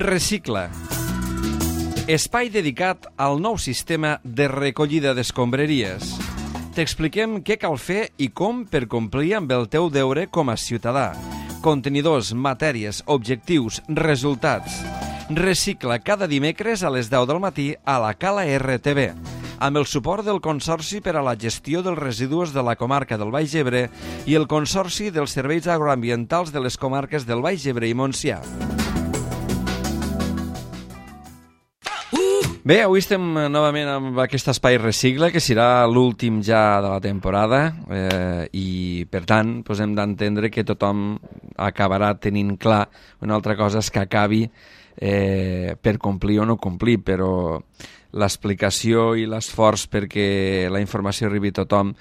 Recicla. Espai dedicat al nou sistema de recollida d'escombraries. T'expliquem què cal fer i com per complir amb el teu deure com a ciutadà. Contenidors, matèries, objectius, resultats. Recicla cada dimecres a les 10 del matí a la Cala RTV, amb el suport del Consorci per a la Gestió dels Residus de la Comarca del Baix Ebre i el Consorci dels Serveis Agroambientals de les Comarques del Baix Ebre i Montsià. Bé, avui estem novament amb aquest espai Recicla, que serà l'últim ja de la temporada i, per tant, hem d'entendre que tothom acabarà tenint clar. Una altra cosa és que acabi per complir o no complir, però l'explicació i l'esforç perquè la informació arribi a tothom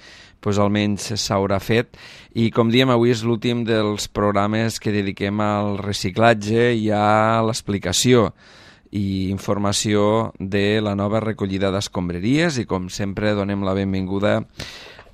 almenys s'haurà fet. I, com diem, avui és l'últim dels programes que dediquem al reciclatge i a l'explicació i informació de la nova recollida d'escombraries, i com sempre donem la benvinguda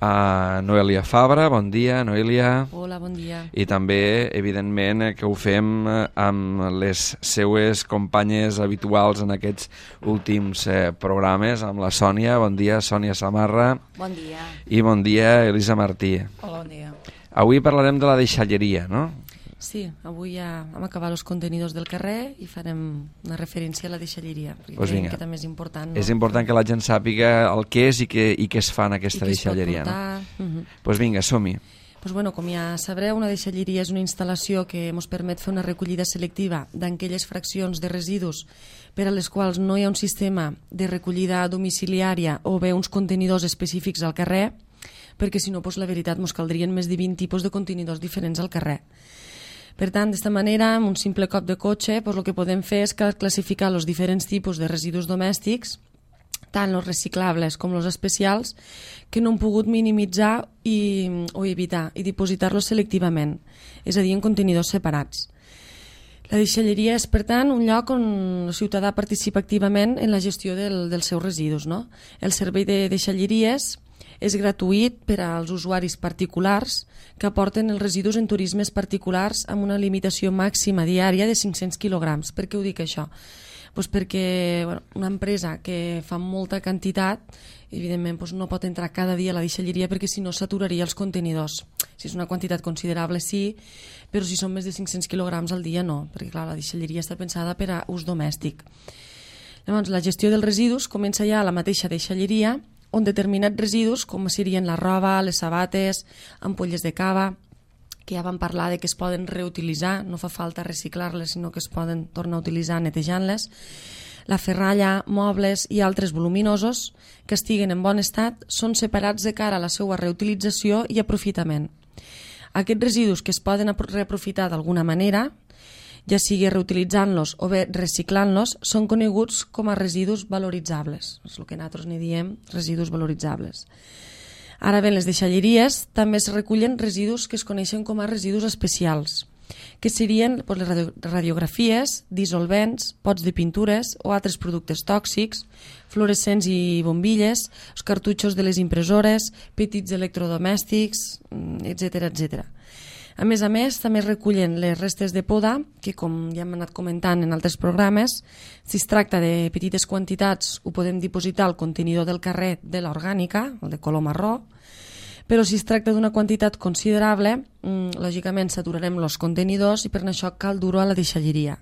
a Noelia Fabra. Bon dia, Noelia. Hola, bon dia. I també, evidentment, que ho fem amb les seues companyes habituals en aquests últims programes, amb la Sònia. Bon dia, Sònia Samarra. Bon dia. I bon dia, Elisa Martí. Hola, bon dia. Avui parlarem de la deixalleria, no? Sí, avui ja hem acabat els contenidors del carrer i farem una referència a la deixalleria, perquè creiem que també és important. És important que la gent sàpiga el que és i què es fa en aquesta deixalleria. Doncs vinga, som-hi. Com ja sabreu, una deixalleria és una instal·lació que ens permet fer una recollida selectiva d'aquelles fraccions de residus per a les quals no hi ha un sistema de recollida domiciliària o bé uns contenidors específics al carrer, perquè si no, la veritat, ens caldrien més de 20 tipus de contenidors diferents al carrer. Per tant, d'esta manera, amb un simple cop de cotxe, el que podem fer és classificar els diferents tipus de residus domèstics, tant els reciclables com els especials, que no hem pogut minimitzar o evitar, i dipositar-los selectivament, és a dir, en contenidors separats. La deixalleria és, per tant, un lloc on el ciutadà participa activament en la gestió dels seus residus. El servei de deixalleries és gratuït per als usuaris particulars que aporten els residus en turismes particulars amb una limitació màxima diària de 500 quilograms. Per què ho dic això? Perquè una empresa que fa molta quantitat, evidentment no pot entrar cada dia a la deixalleria perquè si no saturaria els contenidors. Si és una quantitat considerable sí, però si són més de 500 quilograms al dia no, perquè clar, la deixalleria està pensada per a ús domèstic. Llavors, la gestió dels residus comença ja a la mateixa deixalleria, on determinats residus, com serien la roba, les sabates, ampolles de cava, que ja vam parlar de que es poden reutilitzar, no fa falta reciclar-les, sinó que es poden tornar a utilitzar netejant-les, la ferralla, mobles i altres voluminosos que estiguen en bon estat són separats de cara a la seva reutilització i aprofitament. Aquests residus que es poden reaprofitar d'alguna manera, ja sigui reutilitzant-los o bé reciclant-los, són coneguts com a residus valoritzables. És el que nosaltres n'hi diem residus valoritzables. Ara bé, en les deixalleries també es recullen residus que es coneixen com a residus especials, que serien les radiografies, dissolvents, pots de pintures o altres productes tòxics, fluorescents i bombilles, els cartutxos de les impressores, petits electrodomèstics, etc. A més, també es recullen les restes de poda, que com ja hem anat comentant en altres programes, si es tracta de petites quantitats ho podem dipositar al contenidor del carrer de l'orgànica, el de color marró, però si es tracta d'una quantitat considerable, lògicament saturarem els contenidors i per això cal dur-ho a la deixalleria.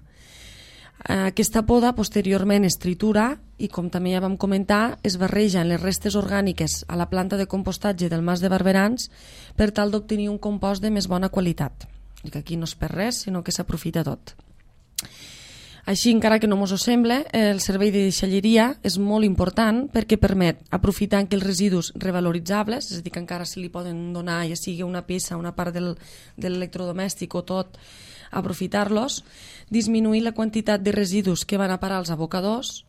Aquesta poda posteriorment es tritura i, com també ja vam comentar, es barreja en les restes orgàniques a la planta de compostatge del Mas de Barberans per tal d'obtenir un compost de més bona qualitat. I que aquí no es perd res, sinó que s'aprofita tot. Així, encara que no ens ho sembla, el servei de deixalleria és molt important perquè permet aprofitar aquells residus revaloritzables, és a dir, que encara se li poden donar, ja sigui una peça, una part de l'electrodomèstic o tot, aprofitar-los, disminuir la quantitat de residus que van a parar als abocadors,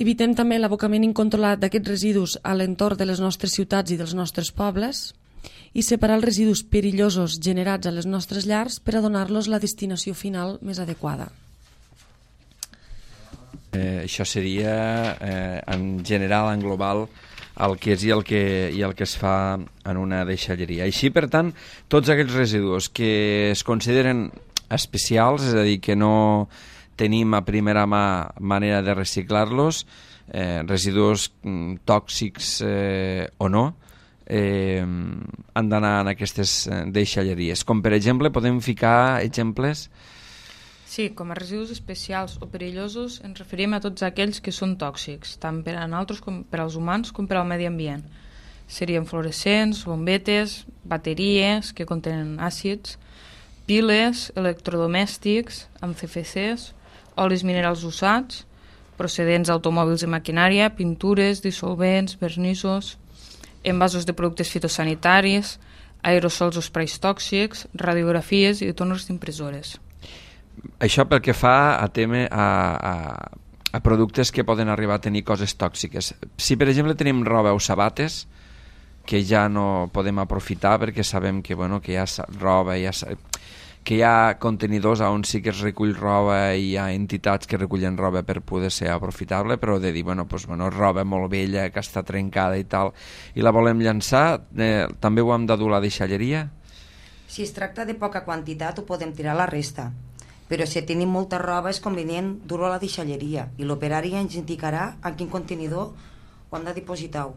evitem també l'abocament incontrolat d'aquests residus a l'entorn de les nostres ciutats i dels nostres pobles i separar els residus perillosos generats a les nostres llars per a donar-los la destinació final més adequada. Això seria, en general, en global, el que és i el que es fa en una deixalleria. Així, per tant, tots aquests residus que es consideren especials, és a dir, que no tenim a primera mà manera de reciclar-los, residus tòxics o no, han d'anar en aquestes deixalleries. Com per exemple, podem ficar exemples? Sí, com a residus especials o perillosos ens referim a tots aquells que són tòxics, tant per a nosaltres com per als humans com per al medi ambient. Serien fluorescents, bombetes, bateries que contenen àcids, piles, electrodomèstics, amb CFCs, olis minerals usats, procedents d'automòbils i maquinària, pintures, dissolvents, vernissos, envasos de productes fitosanitaris, aerosols o sprays tòxics, radiografies i tòners d'impressores. Això pel que fa a productes que poden arribar a tenir coses tòxiques. Si per exemple tenim roba o sabates que ja no podem aprofitar perquè sabem que, que hi ha roba, que hi ha contenidors on sí que es recull roba i hi ha entitats que recullen roba per poder ser aprofitable, però de dir, roba molt vella que està trencada i tal, i la volem llançar, també ho hem de dur a la deixalleria? Si es tracta de poca quantitat ho podem tirar a la resta, però si tenim molta roba és convenient dur-ho a la deixalleria i l'operari ens indicarà en quin contenidor ho hem de dipositar,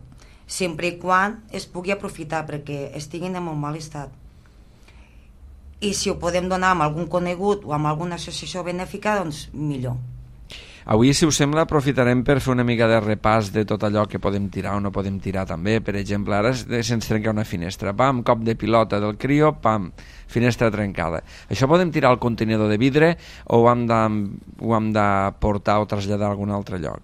sempre i quan es pugui aprofitar perquè estiguin en molt mal estat. I si ho podem donar amb algun conegut o amb alguna associació benèfica, doncs millor. Avui, si us sembla, aprofitarem per fer una mica de repàs de tot allò que podem tirar o no podem tirar també. Per exemple, ara se'ns trenca una finestra, pam, cop de pilota del crio, pam, finestra trencada. Això podem tirar al contenidor de vidre o ho hem de portar o traslladar a algun altre lloc?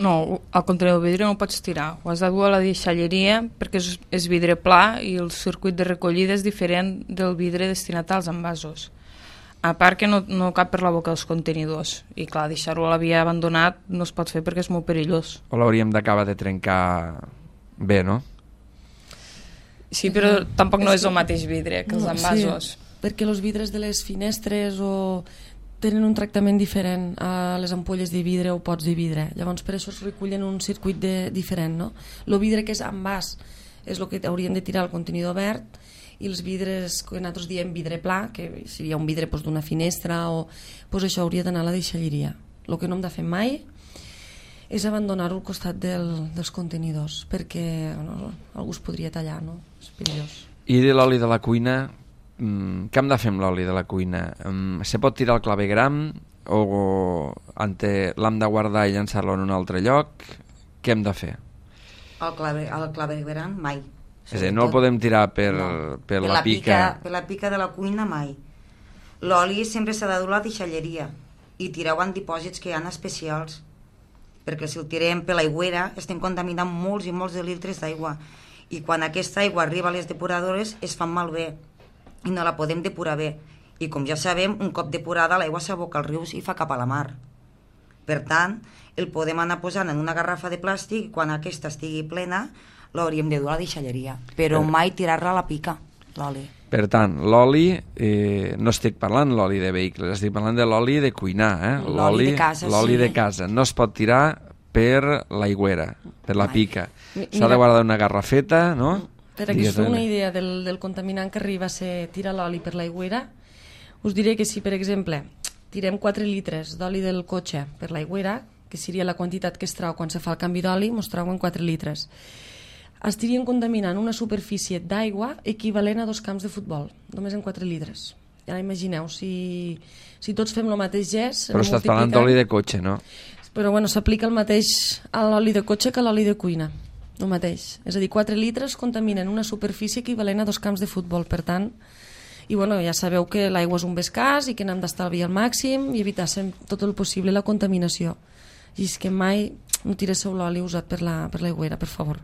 No, el contenidor de vidre no ho pots tirar, ho has de dur a la deixalleria perquè és vidre pla i el circuit de recollida és diferent del vidre destinat als envasos. A part que no cap per la boca dels contenidors i clar, deixar-ho a la via abandonat no es pot fer perquè és molt perillós. O l'hauríem d'acabar de trencar bé, no? Sí, però tampoc no és el mateix vidre que els envasos. Sí, perquè els vidres de les finestres tenen un tractament diferent a les ampolles de vidre o pots de vidre. Llavors per això es recullen un circuit diferent, no? El vidre que és envàs és el que hauríem de tirar al contenidor verd i els vidres que nosaltres diem vidre pla, que seria un vidre d'una finestra o això hauria d'anar a la deixalleria. El que no hem de fer mai és abandonar-ho al costat dels contenidors perquè algú es podria tallar, no? És perillós. I de l'oli de la cuina, què hem de fer amb l'oli de la cuina? Se pot tirar al clavegram o l'hem de guardar i llançar-lo en un altre lloc? Què hem de fer? Al clavegram mai. És a dir, no el podem tirar per la pica. Per la pica de la cuina mai. L'oli sempre s'ha de dur a la deixalleria i tirar-ho en dipòsits que hi ha especials, perquè si el tirem per l'aigüera estem contaminant molts i molts de litres d'aigua i quan aquesta aigua arriba a les depuradores es fan malbé i no la podem depurar bé i com ja sabem, un cop depurada l'aigua s'aboca als rius i fa cap a la mar. Per tant, el podem anar posant en una garrafa de plàstic i quan aquesta estigui plena l'hauríem de dur a la deixalleria, però mai tirar-la a la pica, l'oli. Per tant, l'oli, no estic parlant l'oli de vehicles, estic parlant de l'oli de cuinar, l'oli de casa, l'oli de casa. No es pot tirar per l'aigüera, per la pica. S'ha de guardar una garrafeta, no? Per que us feu una idea del contaminant que arriba a ser tirar l'oli per l'aigüera, us diré que si, per exemple, tirem 4 litres d'oli del cotxe per l'aigüera, que seria la quantitat que es trau quan se fa el canvi d'oli, mos trauen 4 litres. Estarien contaminant una superfície d'aigua equivalent a 2 camps de futbol, només en 4 litres. Ja imagineu, si tots fem el mateix gest... Però estàs parlant d'oli de cotxe, no? Però bueno, s'aplica el mateix a l'oli de cotxe que a l'oli de cuina, el mateix. És a dir, 4 litres contaminen una superfície equivalent a 2 camps de futbol, per tant... I bueno, ja sabeu que l'aigua és un bé escàs i que n'hem d'estalviar al màxim i evitar tot el possible la contaminació. I és que mai no tireu l'oli usat per l'aigüera, per favor.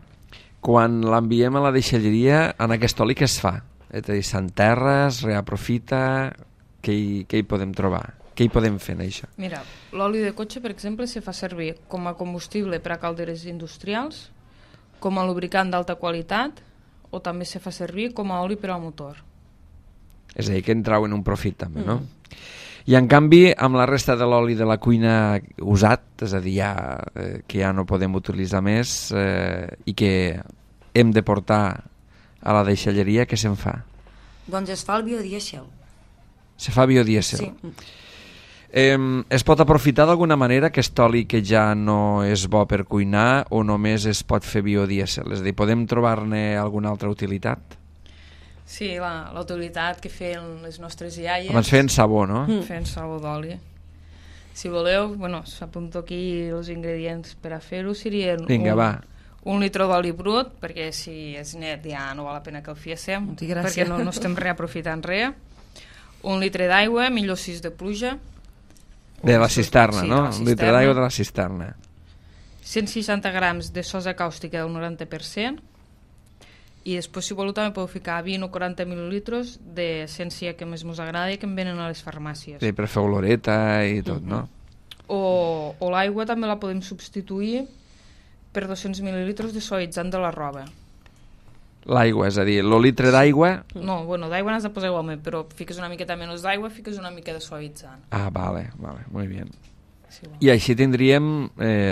Quan l'enviem a la deixalleria, en aquest oli què es fa? És a dir, s'enterra, es reaprofita, què hi podem trobar? Què hi podem fer en això? Mira, l'oli de cotxe, per exemple, se fa servir com a combustible per a calderes industrials, com a lubricant d'alta qualitat o també se fa servir com a oli per al motor. És a dir, que en trauen un profit també, no? I en canvi, amb la resta de l'oli de la cuina usat, és a dir, que ja no podem utilitzar més i que hem de portar a la deixalleria, què se'n fa? Doncs es fa el biodièsel. Se fa biodièsel? Sí. Es pot aprofitar d'alguna manera aquest oli que ja no és bo per cuinar o només es pot fer biodièsel? És a dir, podem trobar-ne alguna altra utilitat? Sí, la utilitat que feien les nostres iaies... Abans feien sabó, no? Feien sabó d'oli. Si voleu, bueno, s'apunto aquí els ingredients per a fer-ho, serien... Vinga, va. 1 litre d'oli brut, perquè si és net ja no val la pena que el fiéssim, perquè no estem reaprofitant res. 1 litre d'aigua, millor 6 de pluja. De la cisterna, sí, no? la cisterna. 1 litre d'aigua de la cisterna. 160 grams de sosa càustica del 90%. I després, si voleu, també podeu ficar 20 o 40 mil·lilitres d'essència que més us agrada i que en venen a les farmàcies. Sí, per fer oloreta i tot, no? O l'aigua també la podem substituir per 200 mil·lilitres de suavitzant de la roba. L'aigua, és a dir, el litre d'aigua... No, bueno, d'aigua n'has de posar igualment, però fiques una miqueta menys d'aigua, fiques una mica de suavitzant. Ah, vale, muy bien. Sí, bueno. I així tindríem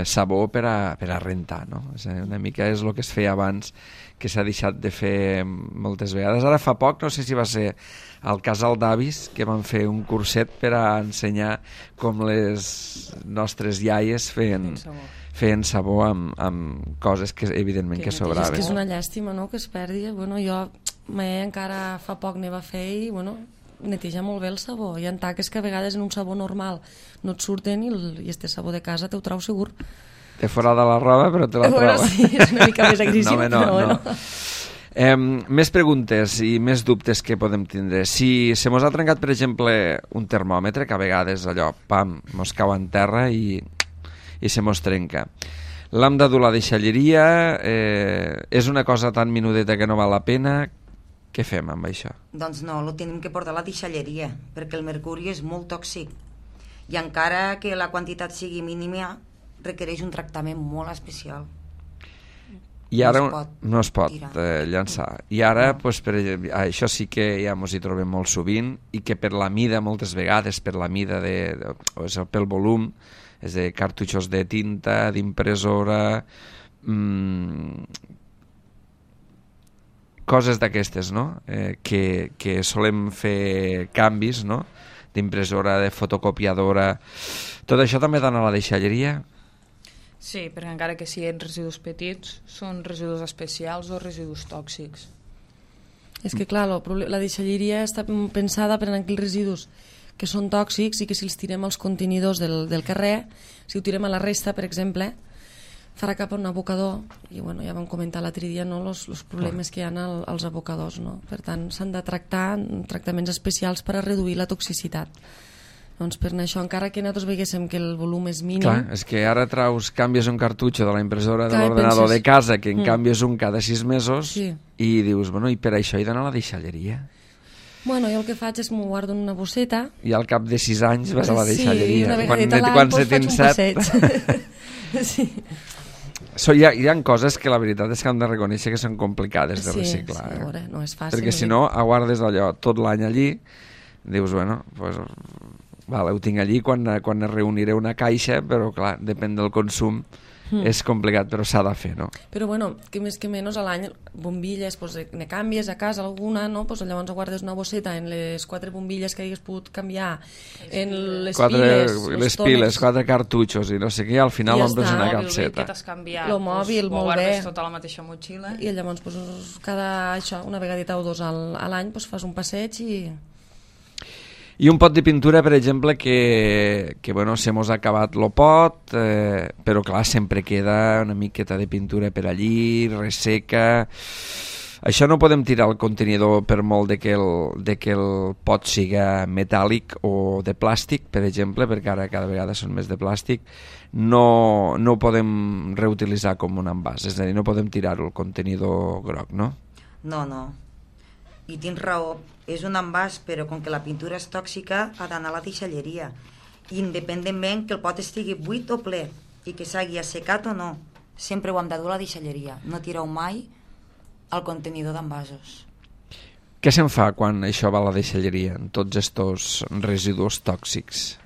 sabó per a rentar, no? És a dir, una mica és el que es feia abans, que s'ha deixat de fer moltes vegades. Ara fa poc, no sé si va ser al casal d'avis, que van fer un curset per a ensenyar com les nostres iaies feien sabó amb coses que evidentment que sobraven. És que és una llàstima, no?, que es perdi. Bueno, jo encara fa poc ne va fer i, bueno, neteja molt bé el sabó. Hi ha taques que a vegades en un sabó normal no et surten i este sabó de casa te ho trau segur. De fora de la roba, però te la troba. Sí, és una mica més agressiu, però bueno. Més preguntes i més dubtes que podem tindre. Si se mos ha trencat, per exemple, un termòmetre, que a vegades allò, pam, mos cau en terra i se mos trenca. L'hem de dur a la deixalleria, és una cosa tan minudeta que no val la pena. Què fem amb això? Doncs no, lo tenim que portar a la deixalleria, perquè el mercuri és molt tòxic. I encara que la quantitat sigui mínima, requereix un tractament molt especial. I ara no es pot llançar. I ara, doncs, això sí que ja ens hi trobem molt sovint, i que per la mida, moltes vegades, per la mida, pel volum, és de cartutxos de tinta, d'impressora, coses d'aquestes, no? Que solem fer canvis, no? D'impressora, de fotocopiadora. Tot això també dona a la deixalleria? Sí, perquè encara que siguin residus petits, són residus especials o residus tòxics. És que, clar, la deixalleria està pensada per a aquells residus que són tòxics i que si els tirem als contenidors del carrer, si ho tirem a la resta, per exemple, farà cap a un abocador, i bueno, ja vam comentar l'altre dia, no, els problemes que hi ha als abocadors, no? Per tant, s'han de tractar tractaments especials per a reduir la toxicitat. Doncs per això, encara que nosaltres veiéssim que el volum és mínim... Clar, és que ara canvies un cartutxo de la impressora de l'ordenador de casa, que en canvies un cada 6 mesos, i dius, bueno, i per això he d'anar a la deixalleria. Bueno, jo el que faig és m'ho guardo en una bosseta. I al cap de 6 anys vas a la deixalleria. Sí, una vegada a l'any faig un passeig. Sí. Hi ha coses que la veritat és que hem de reconèixer que són complicades de reciclar. Sí, veure, no és fàcil. Perquè si no, aguardes allò tot l'any allí, dius, bueno, doncs... Vale, ho tinc allí quan es reuniré una caixa, però clar, depèn del consum, és complicat, però s'ha de fer, no? Però bueno, que més que menys a l'any, bombilles, pues, ne canvies a casa alguna, no? Pues, llavors guardes una bosseta en les 4 bombilles que hagués pogut canviar, en les piles, 4 cartutxos i no sé què, al final omples una capseta. El mòbil, molt bé. Ho guardes tota la mateixa motxilla. I llavors, pues, una vegadeta o 2 a l'any, pues, fas un passeig I un pot de pintura, per exemple, que bueno, se mos ha acabat el pot, però clar, sempre queda una miqueta de pintura per allí, resseca... Això no podem tirar al contenidor per molt de que el pot siga metàl·lic o de plàstic, per exemple, perquè ara cada vegada són més de plàstic. No ho podem reutilitzar com un envàs, és a dir, no podem tirar-ho al contenidor groc, no? No. I tens raó, és un envàs, però com que la pintura és tòxica, ha d'anar a la deixalleria. Independentment que el pot estigui buit o ple, i que s'hagi assecat o no, sempre ho hem de dur a la deixalleria. No tireu mai al contenidor d'envasos. Què se'n fa quan això va a la deixalleria, en tots estos residus tòxics?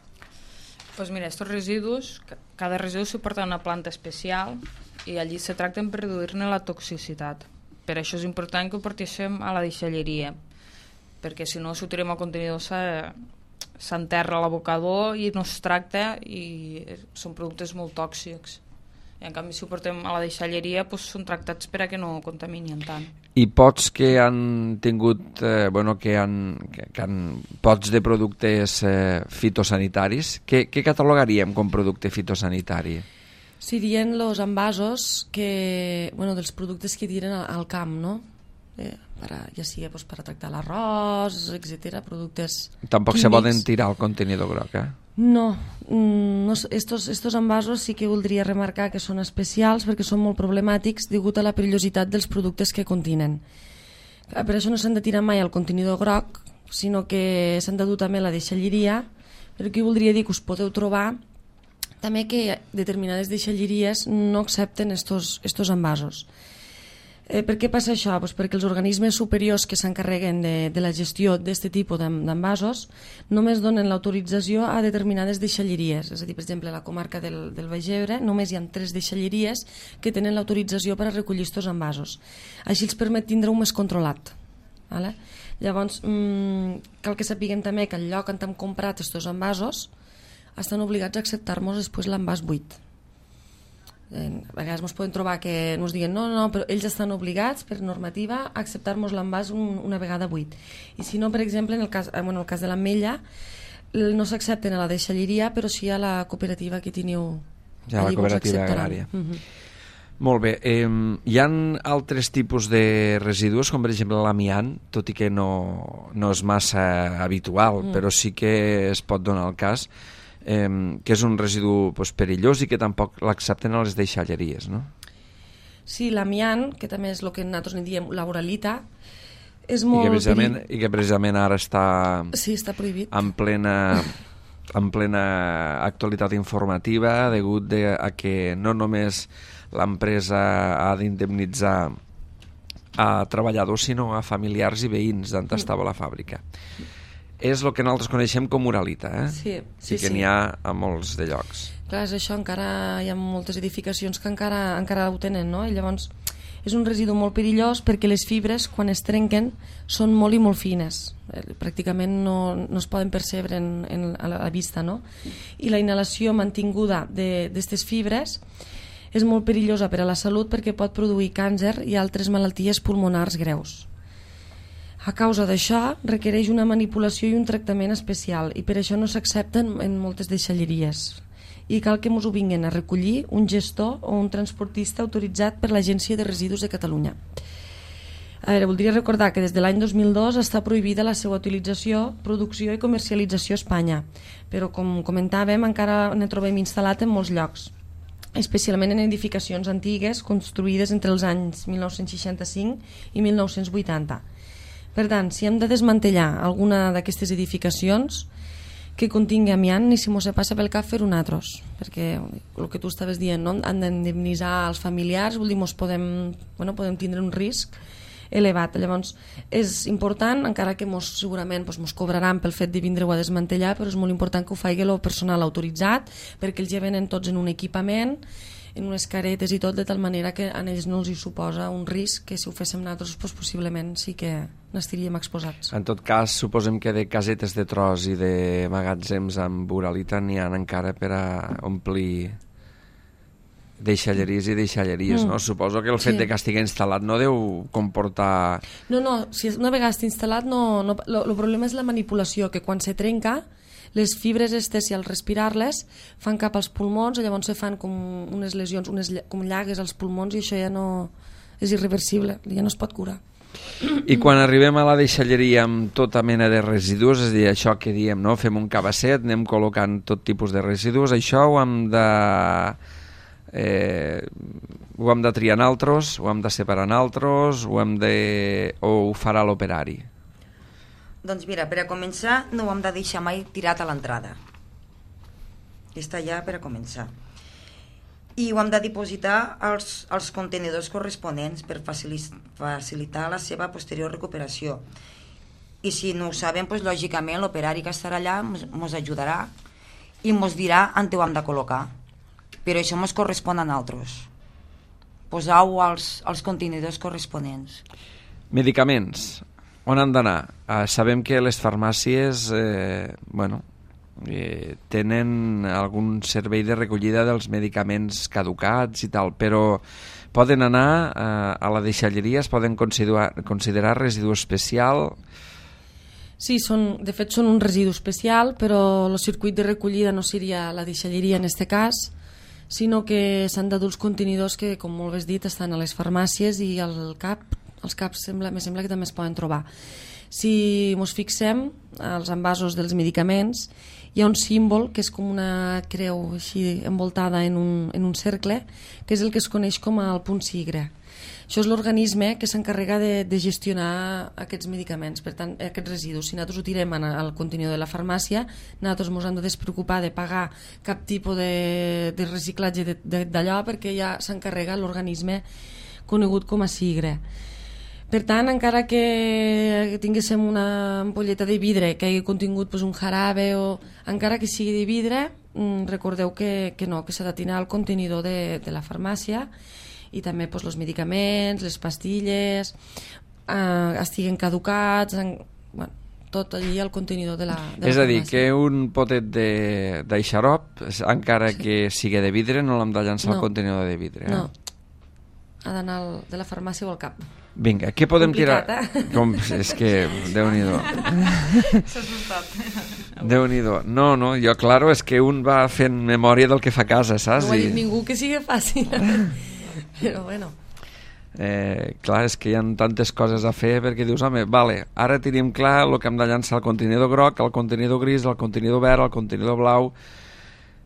Doncs mira, estos residus, cada residu se porta a una planta especial i allí se tracten per reduir-ne la toxicitat. Per això és important que ho portéssim a la deixalleria, perquè si no, si ho tirem al contenidor s'enterra a l'abocador i no es tracta i són productes molt tòxics. I en canvi, si ho portem a la deixalleria, doncs són tractats per a que no contaminin tant. I pots que han tingut, pots de productes fitosanitaris, què catalogaríem com producte fitosanitari? Serien els envasos dels productes que tiren al camp, no? Ja sigui per a tractar l'arròs, etc. productes Tampoc químics. se poden tirar al contenidor groc, No, estos envasos sí que voldria remarcar que són especials perquè són molt problemàtics degut a la perillositat dels productes que contenen. Per això no s'han de tirar mai al contenidor groc, sinó que s'han de dur també a la deixalleria, però aquí voldria dir que us podeu trobar també que determinades deixalleries no accepten estos envasos. Per què passa això? Pues perquè els organismes superiors que s'encarreguen de la gestió d'aquest tipus d'envasos només donen l'autorització a determinades deixalleries. És a dir, per exemple, a la comarca del Baix Ebre només hi ha 3 deixalleries que tenen l'autorització per a recollir aquests envasos. Així els permet tindre un més controlat. Vale? Llavors, cal que sapiguem també que al lloc on hem comprat aquests envasos estan obligats a acceptar-nos després l'envàs buit. A vegades ens podem trobar que ens diguen no, però ells estan obligats per normativa a acceptar-nos l'envàs una vegada buit. I si no, per exemple, en el cas de l'Ametlla no s'accepten a la deixalleria, però sí a la cooperativa que teniu. Ja, la cooperativa agrària. Molt bé. Hi ha altres tipus de residus, com per exemple l'amiant, tot i que no és massa habitual, però sí que es pot donar el cas, que és un residu perillós i que tampoc l'accepten a les deixalleries, no? Sí, l'amiant, que també és el que nosaltres en diem l'uralita, és molt perillós. I que precisament ara està, està prohibit. en plena actualitat informativa degut a que no només l'empresa ha d'indemnitzar a treballadors, sinó a familiars i veïns d'on estava la fàbrica. És el que nosaltres coneixem com uralita, Sí. que n'hi ha a molts de llocs. Clar, és això, encara hi ha moltes edificacions que encara ho tenen, no? I llavors és un residu molt perillós perquè les fibres, quan es trenquen, són molt i molt fines. Pràcticament no es poden percebre a la vista, no? I la inhalació mantinguda d'aquestes fibres és molt perillosa per a la salut perquè pot produir càncer i altres malalties pulmonars greus. A causa d'això, requereix una manipulació i un tractament especial i per això no s'accepten en moltes deixalleries. I cal que ens ho vinguin a recollir un gestor o un transportista autoritzat per l'Agència de Residus de Catalunya. A veure, voldria recordar que des de l'any 2002 està prohibida la seva utilització, producció i comercialització a Espanya, però com comentàvem encara ne trobem instal·lat en molts llocs, especialment en edificacions antigues construïdes entre els anys 1965 i 1980. Per tant, si hem de desmantellar alguna d'aquestes edificacions que contingui amiant, ni si mos se passa pel cap fer-ho nosaltres, perquè el que tu estaves dient, no? Han d'indemnitzar els familiars, vol dir, podem tindre un risc elevat. Llavors, és important, encara que segurament mos cobraran pel fet de vindre-ho a desmantellar, però és molt important que ho faci el personal autoritzat, perquè ells ja venen tots en un equipament, en unes caretes i tot, de tal manera que a ells no els hi suposa un risc que si ho féssim nosaltres possiblement sí que n'estaríem exposats. En tot cas, suposem que de casetes de tros i de magatzems amb uralita n'hi ha encara per a omplir deixalleries i deixalleries, no? Suposo que el fet de que estigui instal·lat no deu comportar... No, si una vegada està instal·lat, el problema és la manipulació, que quan se trenca, les fibres si al respirar-les fan cap als pulmons, llavors se fan com unes lesions, com llagues als pulmons, i això ja no és irreversible, ja no es pot curar. I quan arribem a la deixalleria amb tota mena de residus, és a dir, això que diem, no? Fem un cabasset, anem col·locant tot tipus de residus, això ho hem de triar nosaltres, ho hem de separar nosaltres, o ho farà l'operari? Doncs mira, per a començar no ho hem de deixar mai tirat a l'entrada. Està ja per a començar. I ho hem de dipositar als contenidors corresponents per facilitar la seva posterior recuperació. I si no ho sabem, doncs, lògicament l'operari que estarà allà ens ajudarà i ens dirà on ho hem de col·locar. Però això ens correspon a nosaltres. Posar-ho als contenidors corresponents. Medicaments. on han d'anar? Sabem que les farmàcies tenen algun servei de recollida dels medicaments caducats i tal, però poden anar a la deixalleria, es poden considerar residu especial? Sí, de fet són un residu especial, però el circuit de recollida no seria la deixalleria en aquest cas, sinó que s'han de dur els contenidors que, com molt bé has dit, estan a les farmàcies i als CAPs me sembla que també es poden trobar. Si ens fixem als envasos dels medicaments, hi ha un símbol que és com una creu així envoltada en un cercle, que és el que es coneix com el punt sigre. Això és l'organisme que s'encarrega de gestionar aquests medicaments, per tant, aquests residus. Si nosaltres ho tirem al contenidor de la farmàcia, nosaltres ens hem de despreocupar de pagar cap tipus de reciclatge d'allò, perquè ja s'encarrega l'organisme conegut com a sigre. Per tant, encara que tinguéssim una ampolleta de vidre que hagi contingut un jarabe, o encara que sigui de vidre, recordeu que no, que s'ha de tirar al contenidor de la farmàcia, i també els medicaments, les pastilles, estiguen caducats, tot allí al contenidor de la farmàcia. És a dir, que un potet de xarop, encara que sigui de vidre, no l'hem de llançar al contenidor de vidre. No, ha d'anar de la farmàcia o al CAP. Vinga, què podem tirar? És que, Déu-n'hi-do. S'ha assustat. Déu-n'hi-do. No, jo, claro, és que un va fent memòria del que fa a casa, saps? No ho ha dit ningú que sigui fàcil. Però bueno. Clar, és que hi ha tantes coses a fer, perquè dius, home, vale, ara tenim clar el que hem de llançar al contenidor groc, al contenidor gris, al contenidor verd, al contenidor blau,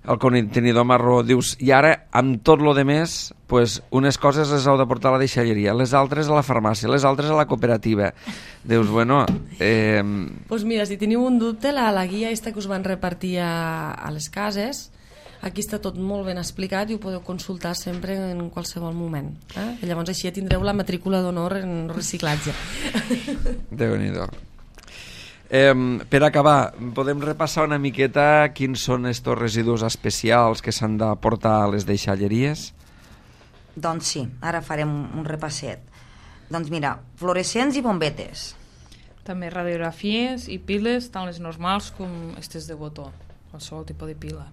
al contenidor marró. Dius, i ara, amb tot lo de més, pues, unes coses les heu de portar a la deixalleria, les altres a la farmàcia, les altres a la cooperativa. Dius, bueno... Pues mira, si teniu un dubte, la guia aquesta que us van repartir a les cases, aquí està tot molt ben explicat i ho podeu consultar sempre en qualsevol moment. I llavors així tindreu la matrícula d'honor en reciclatge. Déu-n'hi-do. Per acabar, podem repassar una miqueta quins són estos residus especials que s'han de portar a les deixalleries? Doncs sí, ara farem un repasset. Doncs mira, fluorescents i bombetes. També radiografies i piles, tant les normals com aquestes de botó, qualsevol tipus de pila.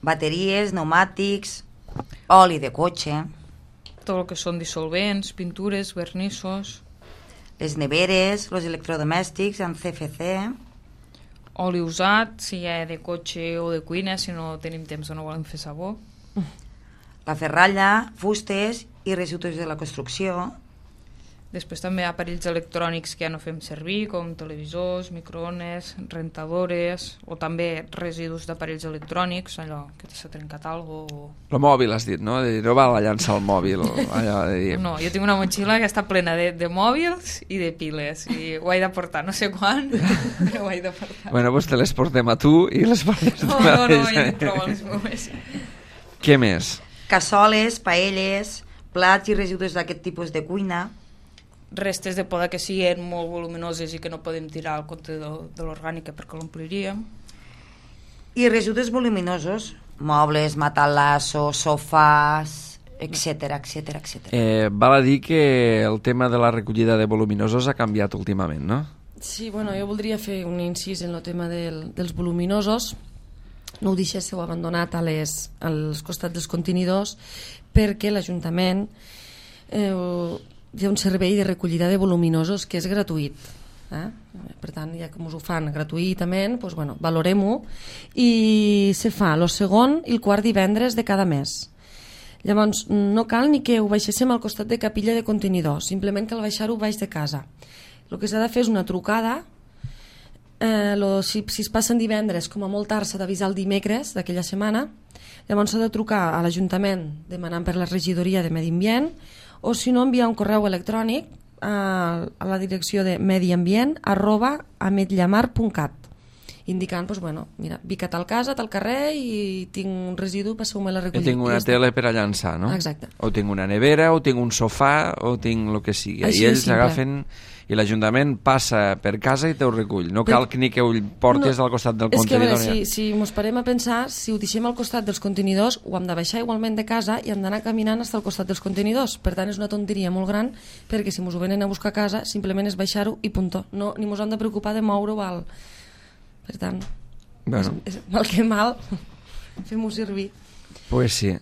Bateries, pneumàtics, oli de cotxe, Tot el que són dissolvents, pintures, vernissos, les neveres, els electrodomèstics amb CFC, oli usat, si hi ha de cotxe o de cuina, si no tenim temps o no volem fer sabó. la ferralla, fustes i residus de la construcció. Després també aparells electrònics que ja no fem servir, com televisors, microones, rentadores, o també residus d'aparells electrònics, allò que s'ha trencat alguna cosa. El mòbil, has dit, no? No val a llançar el mòbil. Allò de dir... No, jo tinc una motxilla que està plena de mòbils i de piles, i ho he de portar, no sé quan, però ho he de portar. Bueno, doncs te les portem a tu i les portes tu No, ja tinc prou a les meves. Què més? Cassoles, paelles, plats i residus d'aquest tipus de cuina. Restes de poda que siguin molt voluminoses i que no podem tirar al contenidor de l'orgànica perquè l'ompliríem. I residus voluminosos, mobles, matalassos, sofàs, etc etc etc. Val a dir que el tema de la recollida de voluminosos ha canviat últimament, no? Sí, bueno, jo voldria fer un incís en el tema dels voluminosos. No ho deixéssiu abandonat als costats dels contenidors, perquè l'Ajuntament hi ha un servei de recollida de voluminosos que és gratuït. Per tant, ja que ens ho fan gratuïtament, doncs, bueno, valorem-ho, i se fa el segon i el quart divendres de cada mes. Llavors, no cal ni que ho baixéssim al costat de capilla de contenidors, simplement cal baixar-ho baix de casa. El que s'ha de fer és una trucada. Si es passen divendres, com a molt tard s'ha d'avisar el dimecres d'aquella setmana. Llavors s'ha de trucar a l'Ajuntament demanant per la regidoria de Medi Ambient, o si no, enviar un correu electrònic a la direcció de mediambient@ametllamar.cat, indicant, doncs, bueno, mira, vic a tal casa, a tal carrer i tinc un residu, passeu-me la I recollir. tinc una tele per a llançar, no? Exacte. O tinc una nevera, o tinc un sofà, o tinc el que sigui. Així I de ells simple. agafen i l'Ajuntament passa per casa i te ho recull. No cal ni que ho portes al costat del és que, a contenidor. veure, si mos parem a pensar, si ho deixem al costat dels contenidors, ho hem de baixar igualment de casa i hem d'anar caminant fins al costat dels contenidors. Per tant, és una tonteria molt gran, perquè si mos ho venen a buscar a casa, simplement és baixar-ho i puntó. No, ni mos hem de preocupar de moure-ho al... Per tant, Bueno. és mal que mal, fem-ho servir. Pues sí.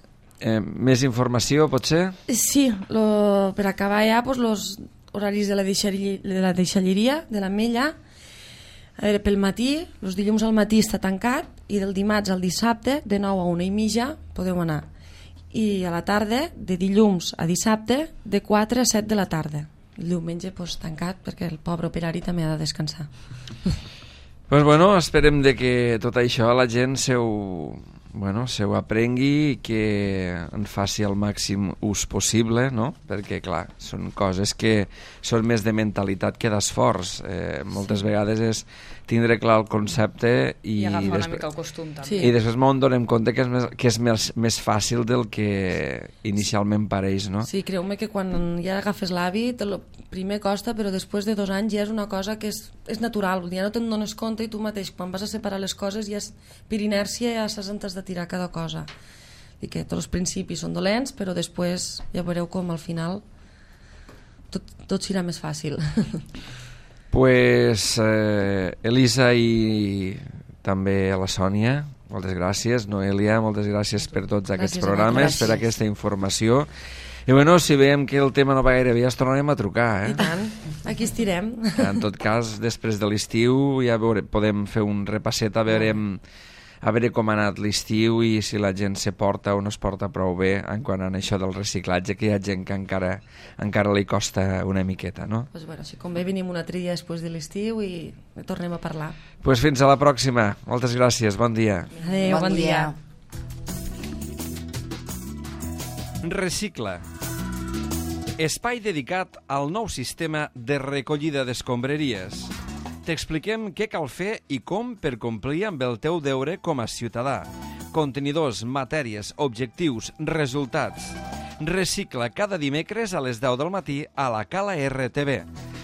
Més informació, potser? Sí, per acabar ja, doncs, los horaris de la deixalleria, de l'Ametlla. A veure, pel matí, els dilluns al matí està tancat i del dimarts al dissabte, de 9 a 1:30, podeu anar. I a la tarda, de dilluns a dissabte, de 4 a 7 de la tarda. El diumenge, doncs, tancat, perquè el pobre operari també ha de descansar. Pues bueno, esperem de que tot això la gent se ho aprengui i que en faci el màxim ús possible, no? Perquè, clar, són coses que són més de mentalitat que d'esforç. Moltes vegades és tindre clar el concepte i agafar una mica el costum, també. Sí. I després m'ho donem compte que és més fàcil del que inicialment pareix, no? Sí, creu-me que quan ja agafes l'hàbit, el primer costa, però després de 2 anys ja és una cosa que és natural, ja no te'n dones compte i tu mateix, quan vas a separar les coses, ja per inèrcia ja saps on t'has de tirar cada cosa. I que tots els principis són dolents, però després ja veureu com al final tot serà més fàcil. Pues Elisa i també a la Sònia, moltes gràcies. Noelia, moltes gràcies per tots aquests programes, gràcies. per aquesta informació. I bueno, si veiem que el tema no va gaire bé, ja ens tornarem a trucar, I tant, aquí estirem. En tot cas, després de l'estiu ja podem fer un repasset, a veure com ha anat l'estiu i si la gent se porta o no es porta prou bé en quant a això del reciclatge, que hi ha gent que encara li costa una miqueta, no? Pues bueno, si convé venim un altre dia després de l'estiu i tornem a parlar. Pues fins a la pròxima. Moltes gràcies, bon dia. Adéu, bon dia. Recicla. Espai dedicat al nou sistema de recollida d'escombraries. T'expliquem què cal fer i com per complir amb el teu deure com a ciutadà. Contenidors, matèries, objectius, resultats. Recicla cada dimecres a les 10 del matí a la Cala RTV,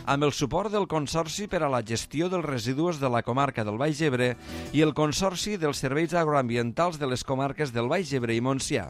amb el suport del Consorci per a la Gestió dels Residus de la Comarca del Baix Ebre i el Consorci dels Serveis Agroambientals de les Comarques del Baix Ebre i Montsià.